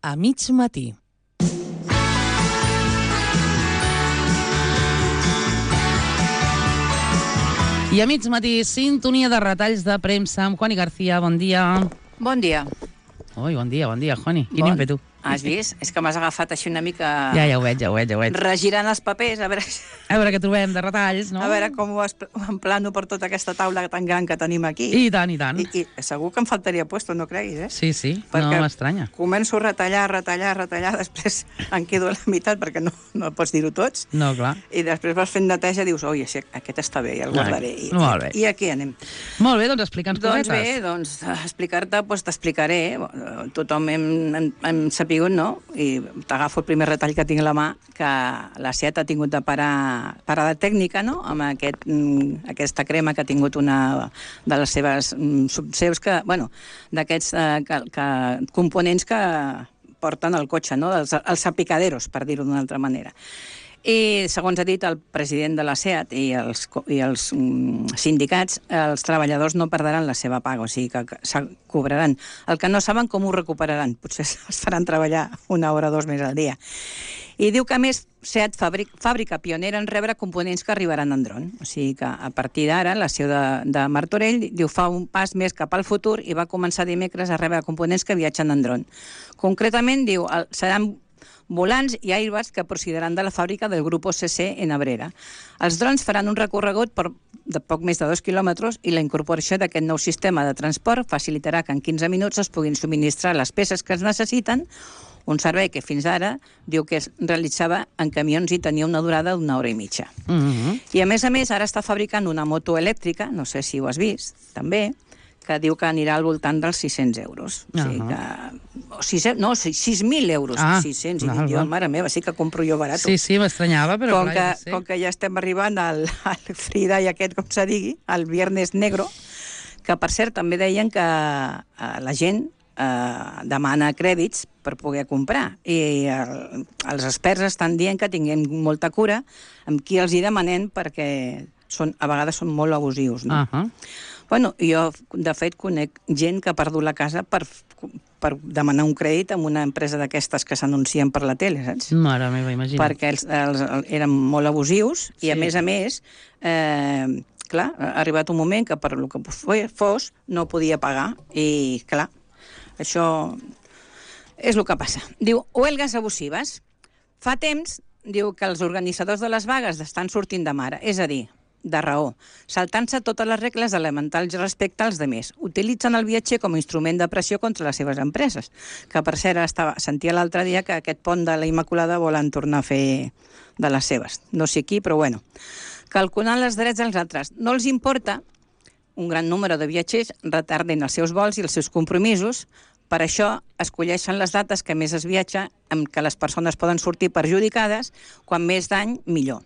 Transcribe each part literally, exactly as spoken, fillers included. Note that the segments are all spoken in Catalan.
A mig matí. I a mig matí, sintonia de retalls de premsa amb Juani García. Bon dia. Bon dia. Ui, bon dia, bon dia, Juani. Quin bon. ímpetu. Has vist? És que m'has agafat així una mica... Ja, ja ho veig, ja ho veig, ja ho veig. Regirant els papers, a veure... A veure què trobem de retalls, no? A veure com ho emplano per tota aquesta taula tan gran que tenim aquí. I tant, i tant. I, i segur que em faltaria puesto, no creguis, eh? Sí, sí, perquè no m'estranya. Començo a retallar, retallar, retallar, després em quedo a la meitat perquè no, no pots dir-ho tots. No, clar. I després vas fent neteja i dius, oi, aquest està bé, ja el guardaré. I, molt bé. I aquí anem. Molt bé, doncs explica'ns doncs cosetes. Bé, doncs explicar-te, doncs t'explicaré. Tothom hem, hem, hem sapigut, no? I t'agafo el primer retall que tinc a la mà, que la SEAT ha tingut de parar, parada tècnica, no?, amb aquest, aquesta crema que ha tingut una de les seves subseus, que, bueno, d'aquests eh, que, que, components que porten el cotxe, no?, els, els salpicaderos, per dir-ho d'una altra manera. I, segons ha dit el president de la SEAT i els, i els mm, sindicats, els treballadors no perdran la seva paga, o sigui que, que se cobraran. El que no saben com ho recuperaran, potser es faran treballar una hora o dos més al dia. I diu que, a més, SEAT fàbrica, fàbrica pionera en rebre components que arribaran en dron. O sigui que, a partir d'ara, la seu de, de Martorell, diu, fa un pas més cap al futur i va començar dimecres a rebre components que viatgen en dron. Concretament, diu, el, seran volants i airbags que procediran de la fàbrica del grup O C C en Abrera. Els drons faran un recorregut per de poc més de dos quilòmetres i la incorporació d'aquest nou sistema de transport facilitarà que en quinze minuts es puguin subministrar les peces que es necessiten, un servei que fins ara diu que es realitzava en camions i tenia una durada d'una hora i mitja. Mm-hmm. I a més a més ara està fabricant una moto elèctrica, no sé si ho has vist, també, que diu que anirà al voltant dels sis-cents euros. O sigui que... O sis, no, sis mil euros. Ah, sis-cents. I dic jo, mare meva, sí que compro jo barat. Sí, sí, m'estranyava, però com clar, que, com que ja estem arribant al, al Frida i aquest, com se digui, al Viernes Negro, que per cert també deien que eh, la gent eh, demana crèdits per poder comprar. I el, els experts estan dient que tinguem molta cura amb qui els hi demanem perquè són, a vegades són molt abusius, no? Uh -huh. Bueno, jo, de fet, conec gent que ha perdut la casa per, per demanar un crèdit amb una empresa d'aquestes que s'anuncien per la tele, saps? Mare meva, imagina't. Perquè els, els, eren molt abusius i, sí. a més a més, eh, clar, ha arribat un moment que per el que fos no podia pagar i, clar, això és el que passa. Diu, huelgues abusives. Fa temps, diu, que els organitzadors de les vagues estan sortint de mare, és a dir, de raó, saltant-se totes les regles elementals respecte als demés. Utilitzen el viatger com a instrument de pressió contra les seves empreses, que per cert estava, sentia l'altre dia que aquest pont de la Immaculada volen tornar a fer de les seves. No sé qui, però bueno. Calculant els drets dels altres. No els importa un gran número de viatgers retarden els seus vols i els seus compromisos. Per això escolleixen les dates que més es viatja, amb què les persones poden sortir perjudicades, quan més dany, millor.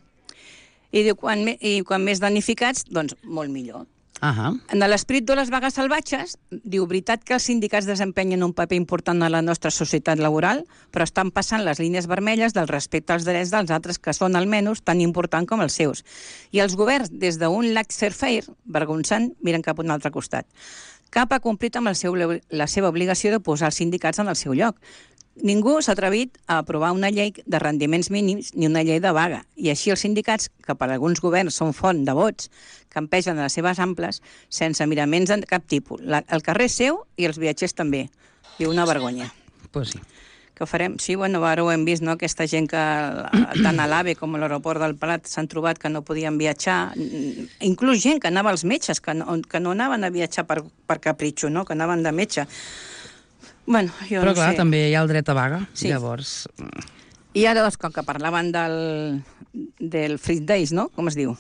I diu, quan, i quan més danificats, doncs molt millor. Uh -huh. En l'esperit de les vagues salvatges, diu, veritat que els sindicats desempenyen un paper important en la nostra societat laboral, però estan passant les línies vermelles del respecte als drets dels altres, que són almenys tan important com els seus. I els governs, des d'un laissez-faire, vergonzant, miren cap a un altre costat. Cap ha complit amb el seu, la seva obligació de posar els sindicats en el seu lloc. Ningú s'ha atrevit a aprovar una llei de rendiments mínims ni una llei de vaga. I així els sindicats, que per alguns governs són font de vots, campegen a les seves amples sense miraments de cap tipus. La, el carrer és seu i els viatgers també. Diu, una vergonya. Pues sí. Què farem? Sí, bueno, ara ho hem vist, no?, aquesta gent que tant a l'AVE com a l'aeroport del Prat s'han trobat que no podien viatjar. Inclús gent que anava als metges, que no, que no anaven a viatjar per, per capritxo, no?, que anaven de metge. Bueno, jo Però no clar, sé. també hi ha el dret a vaga, Sí. llavors... I ara, doncs, com que parlaven del, del Free Days, no?, com es diu?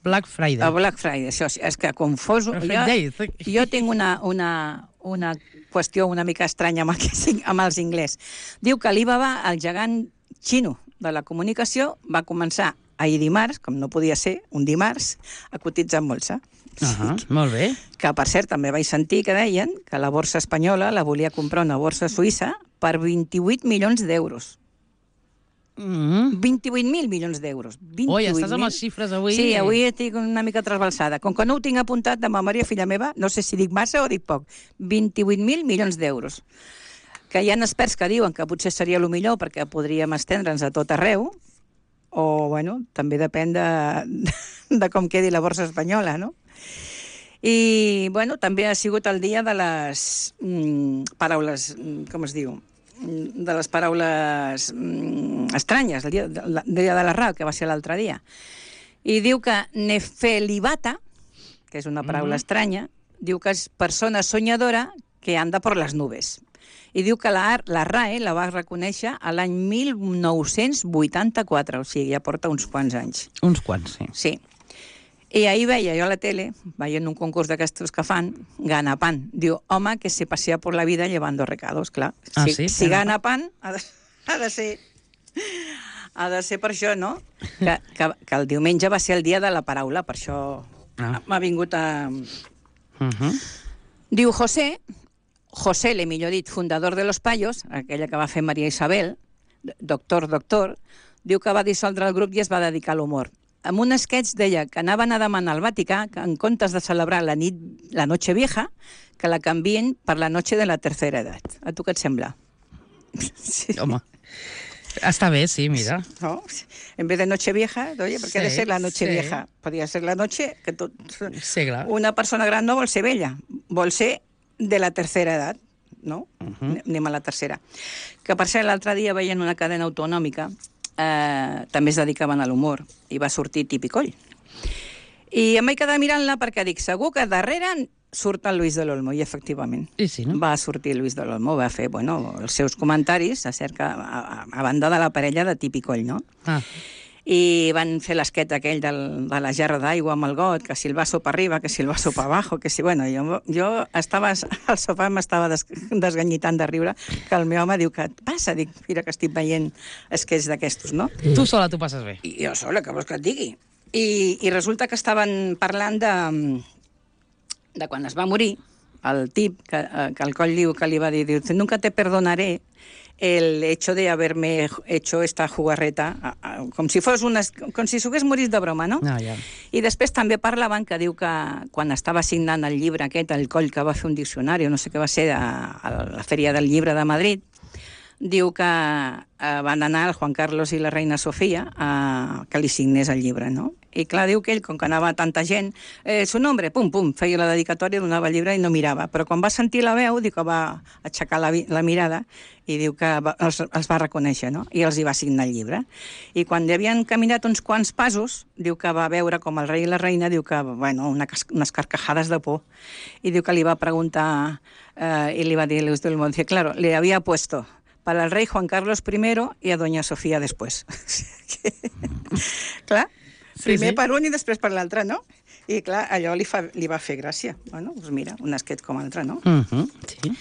Black Friday. El Black Friday, això és que confoso. Free Jo, Days. jo tinc una, una, una qüestió una mica estranya amb, el, amb els inglès. Diu que Alibaba, el gegant xino de la comunicació, va començar ahir dimarts, com no podia ser, un dimarts, a cotitzar en bolsa. Uh -huh, molt bé. Que, per cert, també vaig sentir que deien que la borsa espanyola la volia comprar una borsa suïssa per vint-i-vuit milions d'euros. Mm. vint-i-vuit mil milions d'euros. Ui, estàs amb les xifres avui... Sí, avui estic una mica trasbalsada. Com que no ho tinc apuntat de memòria, filla meva, no sé si dic massa o dic poc. vint-i-vuit mil milions d'euros. que hi ha experts que diuen que potser seria el millor perquè podríem estendre'ns a tot arreu, o, bueno, també depèn de, de com quedi la borsa espanyola, no? I, bueno, també ha sigut el dia de les mm, paraules, com es diu, de les paraules mm, estranyes, el dia, el dia de la R A, que va ser l'altre dia. I diu que nefelibata, que és una paraula mm-hmm. estranya, diu que és persona soñadora que anda por les nubes. I diu que la, la R A E la va reconèixer a l'any mil nou-cents vuitanta-quatre, o sigui, ja porta uns quants anys. Uns quants, sí. Sí. I ahir veia jo a la tele, veient un concurs d'aquestos que fan, Gana Pan. Diu, home, que se pasea por la vida llevando recados, clar. Ah, si, sí? Si Gana Pan ha de, ha de ser... Ha de ser per això, no? Que, que, que el diumenge va ser el dia de la paraula, per això ah. m'ha vingut a... Uh-huh. Diu José, José, le millor dit, fundador de Los Payos, aquella que va fer Maria Isabel, doctor, doctor, diu que va dissoldre el grup i es va dedicar a l'humor. Amb un sketch deia que anaven a demanar al Vaticà que en comptes de celebrar la nit, la noche vieja, que la canvien per la noche de la tercera edat. A tu què et sembla? Sí. Home, està bé, sí, mira. No? En vez de noche vieja, oye, ¿por qué sí, ha de ser la noche sí. vieja? Podria ser la noche que tot... Sí, clar. Una persona gran no vol ser vella, vol ser de la tercera edat, no? Uh-huh. Anem a la tercera. Que per ser l'altre dia veien una cadena autonòmica, eh, també es dedicaven a l'humor, i va sortir Tipicoll. I em vaig quedar mirant-la perquè dic, segur que darrere surt el Luis de l'Olmo, i efectivament. I sí, no? Va sortir Luis de l'Olmo, va fer, bueno, els seus comentaris acerca, a, a, a banda de la parella de Tipicoll, no? Ah. I van fer l'esquet aquell del, de la gerra d'aigua amb el got, que si el vaso per arriba, que si el vaso per abajo, que si... Bueno, jo, jo estava al sofà, m'estava des, desganyitant de riure, que el meu home diu que passa, dic, mira que estic veient esquets d'aquestos, no? Tu sola t'ho passes bé. I jo sola, que vols que et digui? I, i resulta que estaven parlant de, de quan es va morir, el tip, que, que el coll diu que li va dir, diu, nunca te perdonaré el hecho de haberme hecho esta jugarreta, a, a, com si fos una, com si s'hagués morit de broma, no? Ah, ja. I després també parlaven que diu que quan estava signant el llibre aquest, el coll que va fer un diccionari, no sé què va ser, a, a la Fèria del Llibre de Madrid, diu que eh, van anar el Juan Carlos i la reina Sofia a que li signés el llibre, no? I clar, diu que ell, com que anava tanta gent, eh, su nombre, pum, pum, feia la dedicatòria, donava el llibre i no mirava. Però quan va sentir la veu, diu que va aixecar la, la mirada i diu que va, els, els va reconèixer, no? I els hi va signar el llibre. I quan hi havien caminat uns quants passos, diu que va veure com el rei i la reina, diu que, bueno, una, unes carcajades de por. I diu que li va preguntar, eh, i li va dir, Luis del Món, dice, claro, le había puesto para el rey Juan Carlos primero y a doña Sofía después. Clar, primer sí, sí. per un i després per l'altre, no? I clar, allò li, fa, li va fer gràcia. Bueno, doncs mira, un esquet com l'altre, no? Uh-huh, sí.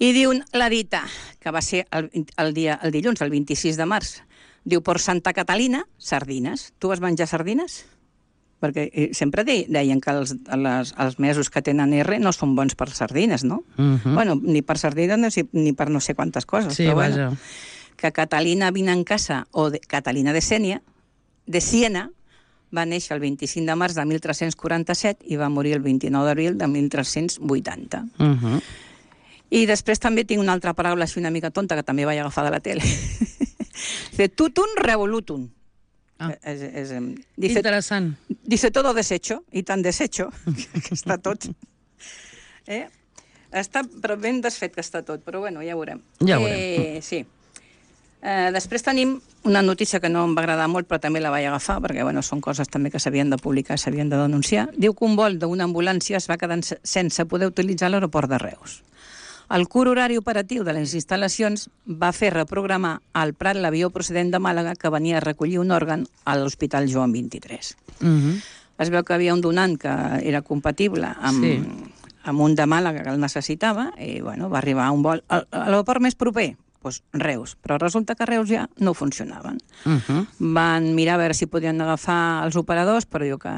I diu la dita, que va ser el, el, dia, el dilluns, el vint-i-sis de març, diu, per Santa Catalina, sardines. Tu vas menjar sardines? Perquè sempre deien que els, les, els mesos que tenen R no són bons per sardines, no? Uh-huh. Bueno, ni per sardines ni per no sé quantes coses. Sí, però vaja. Bueno, que Catalina vine en casa, o de, Catalina de Sènia, de Siena, va néixer el vint-i-cinc de març de mil tres-cents quaranta-set i va morir el vint-i-nou d'abril de mil tres-cents vuitanta. Uh-huh. I després també tinc una altra paraula així una mica tonta que també vaig agafar de la tele. De tutum revolutum. Ah. Es, es, dice, interessant. Dice todo deshecho, i tan deshecho, que està tot. Eh? Està però ben desfet que està tot, però bueno, ja ho veurem. Ja ho veurem. Eh, sí. Eh, després tenim una notícia que no em va agradar molt, però també la vaig agafar, perquè bueno, són coses també que s'havien de publicar, s'havien de denunciar. Diu que un vol d'una ambulància es va quedar sense poder utilitzar l'aeroport de Reus. El curt horari operatiu de les instal·lacions va fer reprogramar al Prat l'avió procedent de Màlaga que venia a recollir un òrgan a l'Hospital Joan vint-i-tres. Uh-huh. Es veu que havia un donant que era compatible amb, sí. amb un de Màlaga que el necessitava i bueno, va arribar a un vol a l'aeroport més proper, doncs Reus, però resulta que a Reus ja no funcionaven. Uh-huh. Van mirar a veure si podien agafar els operadors, però diu que,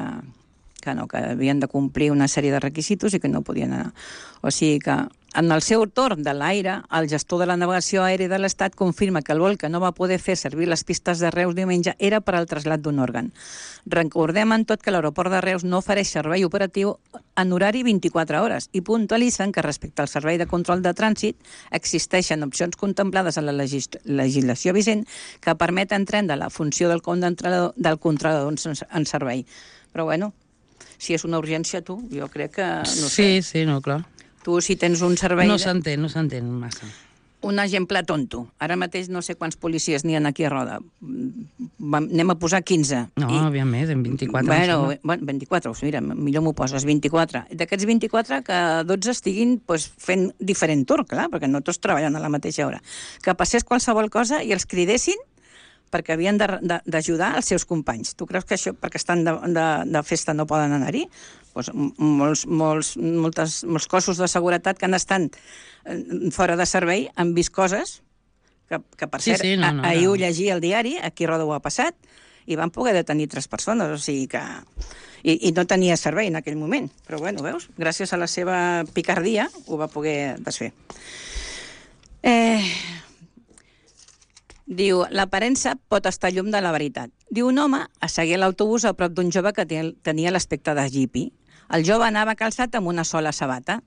que no, que havien de complir una sèrie de requisitos i que no podien anar. O sigui que En el seu torn de l'aire, el gestor de la navegació aèria de l'Estat confirma que el vol que no va poder fer servir les pistes de Reus diumenge era per al trasllat d'un òrgan. Recordem en tot que l'aeroport de Reus no ofereix servei operatiu en horari vint-i-quatre hores i puntualitzen que respecte al servei de control de trànsit existeixen opcions contemplades en la legis legislació vigent que permeten prendre la funció del controlador, del controlador en servei. Però bueno, si és una urgència, tu, jo crec que... No sí, sé. sí, no, clar. Tu, si tens un servei... No s'entén, no s'entén massa. Un exemple tonto. Ara mateix no sé quants policies n'hi ha aquí a Roda. Vam, anem a posar quinze. No, I... havia més, en vint-i-quatre. Bueno, bueno vint-i-quatre, mira, millor m'ho poses, vint-i-quatre. D'aquests vint-i-quatre, que dotze estiguin pues, fent diferent torn, clar, perquè no tots treballen a la mateixa hora. Que passés qualsevol cosa i els cridessin perquè havien d'ajudar els seus companys. Tu creus que això, perquè estan de, de, de festa, no poden anar-hi? Pues molts, molts, moltes, molts cossos de seguretat que han estat fora de servei han vist coses que, que per cert, sí, sí, no, no, ahir no. Ho llegia al diari, aquí a Roda ho ha passat, i van poder detenir tres persones, o sigui que... I, i no tenia servei en aquell moment. Però bueno, veus, gràcies a la seva picardia ho va poder desfer. Eh... Diu, l'aparença pot estar llum de la veritat. Diu, un home asseguia l'autobús a prop d'un jove que tenia l'aspecte de hippie. El jove anava calçat amb una sola sabata.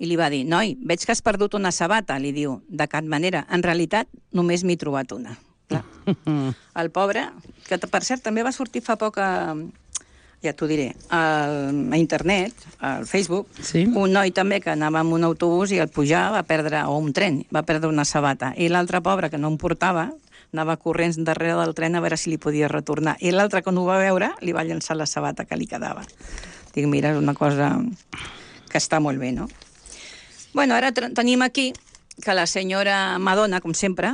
I li va dir, noi, veig que has perdut una sabata, li diu. De cap manera, en realitat, només m'he trobat una. Clar. El pobre, que per cert també va sortir fa poc a, ja t'ho diré, a, a internet, al Facebook, sí? Un noi també que anava amb un autobús i al pujar va perdre, o un tren, va perdre una sabata. I l'altre pobre, que no en portava, anava corrents darrere del tren a veure si li podia retornar. I l'altre, quan ho va veure, li va llançar la sabata que li quedava. Dic, mira, és una cosa que està molt bé, no? Bueno, ara tenim aquí que la senyora Madonna, com sempre,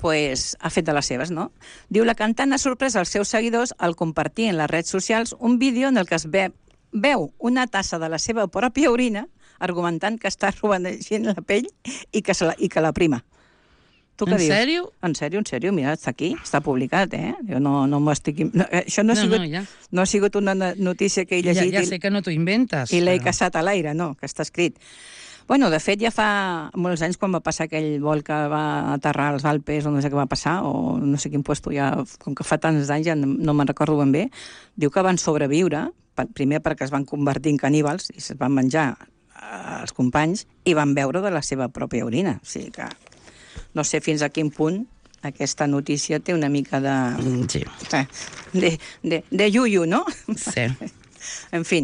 pues, ha fet de les seves, no? Diu, la cantant ha sorprès als seus seguidors al compartir en les redes socials un vídeo en el que es ve, veu una tassa de la seva pròpia orina argumentant que està romanegint la pell i que, se la, i que la prima. Tu què en dius? Sèrio? En sèrio, en sèrio, mira, està aquí, està publicat, eh? Jo no, no m'ho estic... No, això no ha, sigut, no, no, ja. no ha sigut una notícia que he llegit... Ja, ja sé que no t'ho inventes. I l'he però... caçat a l'aire, no, que està escrit. Bueno, de fet, ja fa molts anys, quan va passar aquell vol que va aterrar als Alpes, o no sé què va passar, o no sé quin puesto, ja, com que fa tants anys, ja no me'n recordo ben bé, diu que van sobreviure, primer perquè es van convertir en caníbals, i es van menjar els companys, i van beure de la seva pròpia orina. O sigui que no sé fins a quin punt aquesta notícia té una mica de... Sí. De, de, de yuyu, no? Sí. En fi.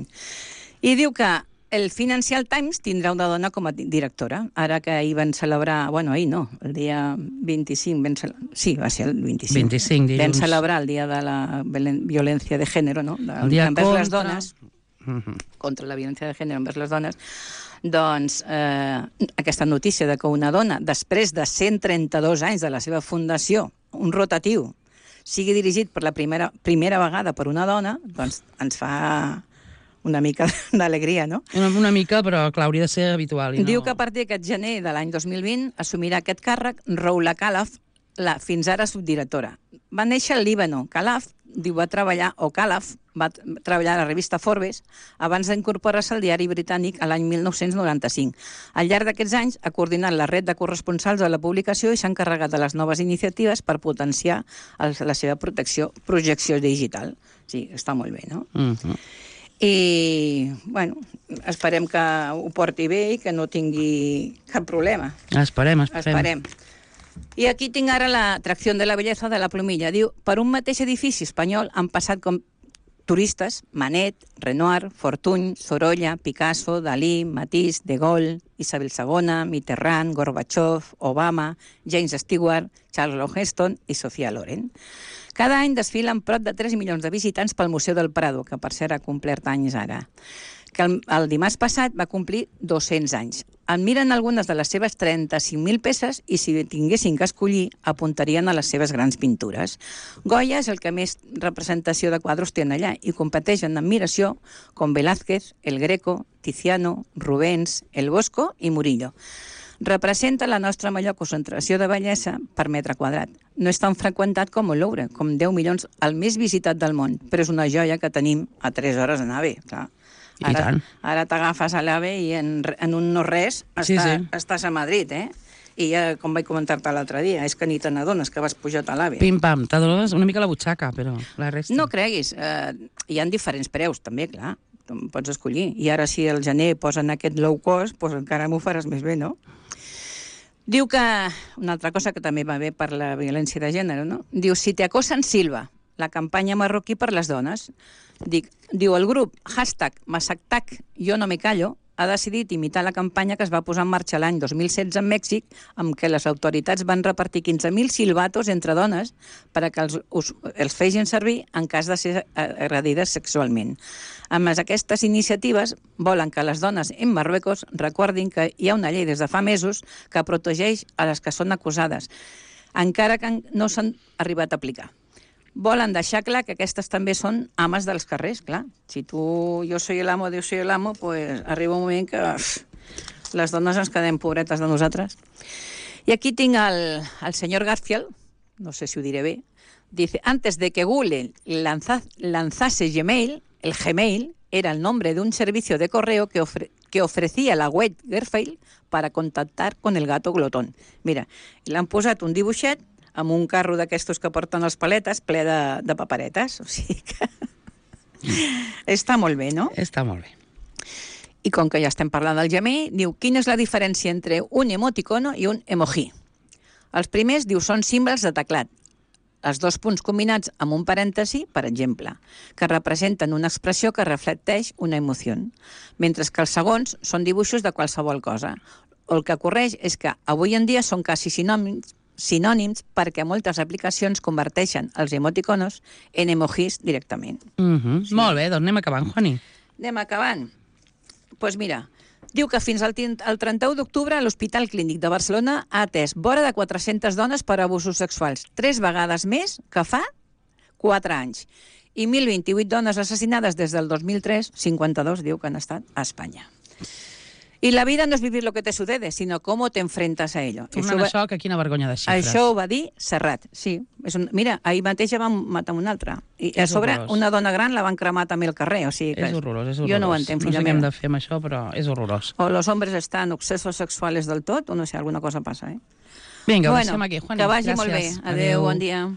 I diu que el Financial Times tindrà una dona com a directora. Ara que ahir van celebrar... Bueno, ahir no, el dia vint-i-cinc... Van cele... Sí, va ser el vint-i-cinc. vint-i-cinc, dilluns. Van celebrar el dia de la violència de gènere, no? De, el dia envers contra... les dones. Uh-huh. Contra la violència de gènere envers les dones. Doncs eh, aquesta notícia de que una dona, després de cent trenta-dos anys de la seva fundació, un rotatiu, sigui dirigit per la primera, primera vegada per una dona, doncs ens fa una mica d'alegria, no? Una, una mica, però clar, hauria de ser habitual. I no... Diu que a partir d'aquest gener de l'any dos mil vint assumirà aquest càrrec Roula Khalaf, la fins ara subdirectora. Va néixer al Líbano. Khalaf, diu, va treballar, o Khalaf, va treballar a la revista Forbes abans d'incorporar-se al diari britànic a l'any mil nou-cents noranta-cinc. Al llarg d'aquests anys ha coordinat la red de corresponsals de la publicació i s'ha encarregat de les noves iniciatives per potenciar el, la seva protecció, projecció digital. Sí, està molt bé, no? Uh-huh. I, bueno, esperem que ho porti bé i que no tingui cap problema. Esperem, esperem. Esperem. I aquí tinc ara l'atracció de la bellesa de la Plomilla. Diu, per un mateix edifici espanyol han passat com turistes Manet, Renoir, Fortuny, Sorolla, Picasso, Dalí, Matisse, De Gaulle, Isabel segona, Mitterrand, Gorbachev, Obama, James Stewart, Charles Heston i Sofia Loren. Cada any desfilen prop de tres milions de visitants pel Museu del Prado, que per cert ha complert anys ara. Que el, el dimarts passat va complir dos-cents anys. Admiren algunes de les seves trenta-cinc mil peces i si tinguessin que escollir apuntarien a les seves grans pintures. Goya és el que més representació de quadros té allà i competeix en admiració com Velázquez, El Greco, Tiziano, Rubens, El Bosco i Murillo. Representa la nostra major concentració de bellesa per metre quadrat. No és tan freqüentat com el Louvre, com deu milions, el més visitat del món, però és una joia que tenim a tres hores d'anar bé, clar. I Ara, tant. ara t'agafes a l'AVE i en, en un no res Sí, està, sí. estàs a Madrid, eh? I ja, com vaig comentar-te l'altre dia, és que ni te n'adones que vas pujat a l'AVE. Pim-pam, t'adones una mica la butxaca, però la resta... No creguis, eh, hi ha diferents preus, també, clar. Tu pots escollir. I ara, si el gener posen aquest low cost, doncs encara m'ho faràs més bé, no? Diu que... Una altra cosa que també va bé per la violència de gènere, no? Diu, si te acosen, silba. La campanya marroquí per les dones. Dic, diu, el grup hashtag Masactac Jo no me callo ha decidit imitar la campanya que es va posar en marxa l'any dos mil setze en Mèxic, amb què les autoritats van repartir quinze mil silbatos entre dones per a que els, us, els fegin servir en cas de ser agredides sexualment. Amb aquestes iniciatives volen que les dones en Marruecos recordin que hi ha una llei des de fa mesos que protegeix a les que són acusades, encara que no s'han arribat a aplicar. Volen deixar clar que aquestes també són ames dels carrers, clar. Si tu, jo soy el amo, Dios soy el amo, pues arriba un moment que uf, les dones ens quedem pobretes de nosaltres. I aquí tinc el, el senyor Garfield, no sé si ho diré bé, dice, antes de que Google lanza, lanzase Gmail, el Gmail era el nombre de un servicio de correo que, ofre, que ofrecía la web Garfield para contactar con el gato glotón. Mira, l'han posat un dibuixet amb un carro d'aquestos que porten les paletes ple de, de paperetes. O sigui que... Està molt bé, no? Està molt bé. I com que ja estem parlant del Gmail, diu, quina és la diferència entre un emoticono i un emoji? Els primers, diu, són símbols de teclat. Els dos punts combinats amb un parèntesi, per exemple, que representen una expressió que reflecteix una emoció, mentre que els segons són dibuixos de qualsevol cosa. El que ocorreix és que avui en dia són quasi sinònims sinònims perquè moltes aplicacions converteixen els emoticonos en emojis directament. Mm -hmm. Sí. Molt bé, doncs anem acabant, Juani. Anem acabant. Doncs pues mira, diu que fins al, al trenta-u d'octubre l'Hospital Clínic de Barcelona ha atès vora de quatre-centes dones per abusos sexuals, tres vegades més que fa quatre anys. I mil vint-i-vuit dones assassinades des del dos mil tres, cinquanta-dos diu que han estat a Espanya. I la vida no és vivir lo que te sucede, sinó com te enfrentas a ello. Tornant a això, que quina vergonya de xifres. Això ho va dir Serrat, sí. És un, mira, ahir mateix ja van matar un altre. I a És sobre, horrorós. una dona gran la van cremar també al carrer. O sigui que És horrorós, és horrorós. Jo no ho entenc, no filla sé què hem meva. de fer amb això, però és horrorós. O los hombres estan obsesos sexuales del tot, o no sé, alguna cosa passa, eh? Vinga, ho bueno, deixem aquí, Juani. que vagi Gràcies. molt bé. Adéu, bon dia.